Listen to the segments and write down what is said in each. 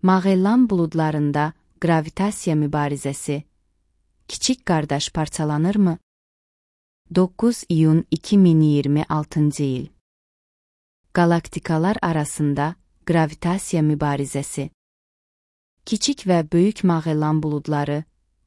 Mağellan buludlarında gravitasiya mübarizəsi. Kiçik qardaş parçalanırmı? 9 iyun 2026 il. Galaktikalar arasında gravitasiya mübarizəsi. Kiçik və böyük Mağellan buludları,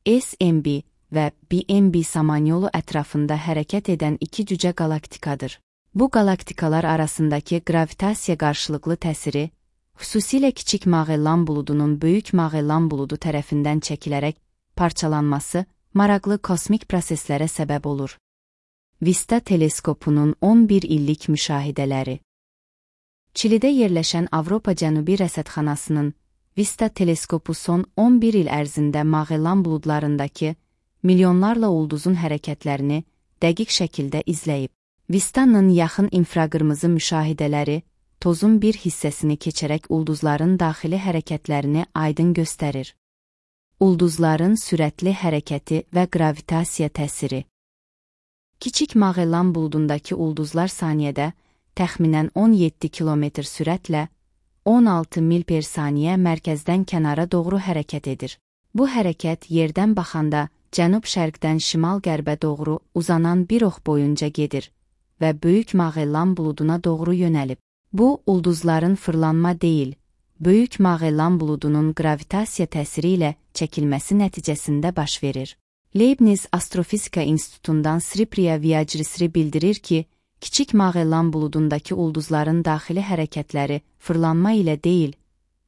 SMB və BMB samanyolu ətrafında hərəkət edən iki cücə qalaktikadır. Bu qalaktikalar arasındakı gravitasiya qarşılıqlı təsiri, xüsusilə kiçik Mağellan buludunun böyük Mağellan buludu tərəfindən çəkilərək parçalanması maraqlı kosmik proseslərə səbəb olur. Vista teleskopunun 11 illik müşahidələri. Çilidə yerləşən Avropa Cənubi Rəsədxanasının Vista teleskopu son 11 il ərzində Mağellan buludlarındakı milyonlarla ulduzun hərəkətlərini dəqiq şəkildə izləyib. Vista'nın yaxın infraqırmızı müşahidələri tozun bir hissəsini keçərək ulduzların daxili hərəkətlərini aydın göstərir. Ulduzların sürətli hərəkəti və gravitasiya təsiri. Kiçik Mağellan buludundakı ulduzlar saniyədə təxminən 17 km sürətlə 16 mil per saniyə mərkəzdən kənara doğru hərəkət edir. Bu hərəkət yerdən baxanda cənub-şərqdən şimal-qərbə doğru uzanan bir ox boyunca gedir və böyük Mağellan buluduna doğru yönəlib. Bu, ulduzların fırlanma deyil, böyük Mağellan buludunun gravitasiya təsiri ilə çəkilməsi nəticəsində baş verir. Leibniz Astrofizika İnstitutundan Sripriya Viajrisri bildirir ki, kiçik Mağellan buludundakı ulduzların daxili hərəkətləri fırlanma ilə deyil,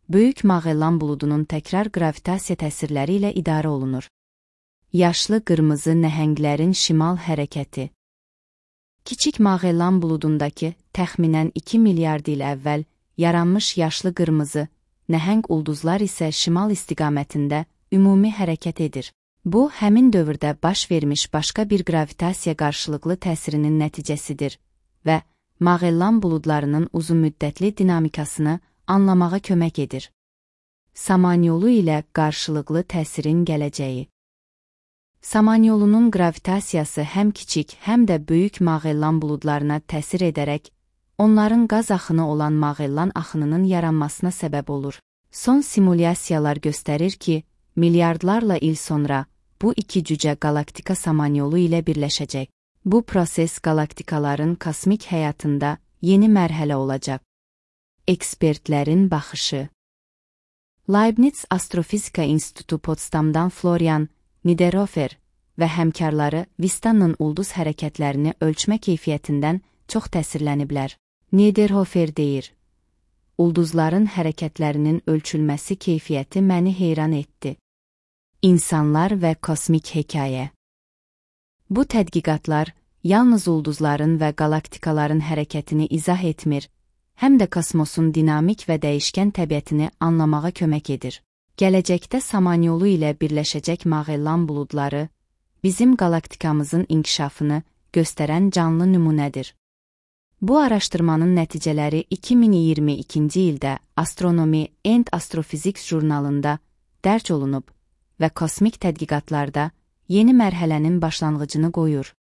böyük Mağellan buludunun təkrar gravitasiya təsirləri ilə idarə olunur. Yaşlı qırmızı nəhənglərin şimal hərəkəti. Kiçik Mağellan buludundakı təxminən 2 milyard il əvvəl yaranmış yaşlı qırmızı, nəhəng ulduzlar isə şimal istiqamətində ümumi hərəkət edir. Bu, həmin dövrdə baş vermiş başqa bir gravitasiya qarşılıqlı təsirinin nəticəsidir və Mağellan buludlarının uzunmüddətli dinamikasını anlamağa kömək edir. Samanyolu ilə qarşılıqlı təsirin gələcəyi. Samanyolunun gravitasiyası həm kiçik, həm də böyük Mağellan buludlarına təsir edərək, onların qaz axını olan Mağellan axınının yaranmasına səbəb olur. Son simulyasiyalar göstərir ki, milyardlarla il sonra bu iki cücə galaktika samanyolu ilə birləşəcək. Bu proses galaktikaların kosmik həyatında yeni mərhələ olacaq. Ekspertlərin baxışı. Leibniz Astrofizika İnstitutu Potsdamdan Florian Niederhofer və həmkarları Vista'nın ulduz hərəkətlərini ölçmə keyfiyyətindən çox təsirləniblər. Niederhofer deyir: "Ulduzların hərəkətlərinin ölçülməsi keyfiyyəti məni heyran etdi. İnsanlar və kosmik hekayə." Bu tədqiqatlar yalnız ulduzların və galaktikaların hərəkətini izah etmir, həm də kosmosun dinamik və dəyişkən təbiətini anlamağa kömək edir. Gələcəkdə samanyolu ilə birləşəcək Mağellan buludları bizim galaktikamızın inkişafını göstərən canlı nümunədir. Bu araşdırmanın nəticələri 2022-ci ildə Astronomy and Astrophysics jurnalında dərc olunub və kosmik tədqiqatlarda yeni mərhələnin başlanğıcını qoyur.